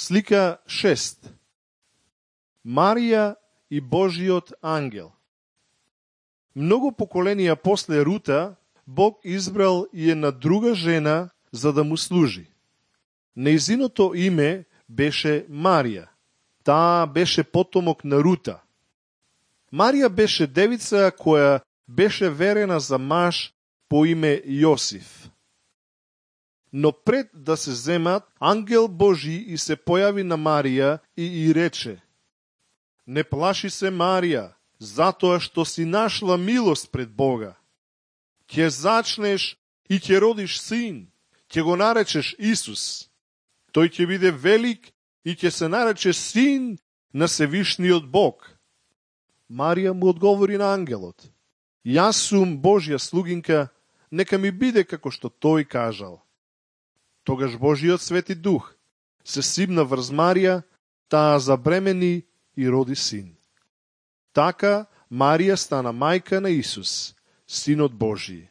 Слика 6. Марија и Божиот ангел. Многу поколенија после Рута, Бог избрал и една друга жена за да му служи. Нејзиното име беше Марија. Таа беше потомок на Рута. Марија беше девица која беше верена за маж по име Јосиф. Но пред да се земат, ангел Божи и се појави на Марија и рече: Не плаши се, Марија, затоа што си нашла милост пред Бога. Ќе зачнеш и ќе родиш син, ќе го наречеш Исус. Тој ќе биде велик и ќе се нарече син на Севишниот Бог. Марија му одговори на ангелот: Јас сум Божја слугинка, нека ми биде како што тој кажал. Тогаш Божиот Свети Дух се сипна врз Марија, таа забремени и роди син. Така Марија стана мајка на Исус, Синот Божи.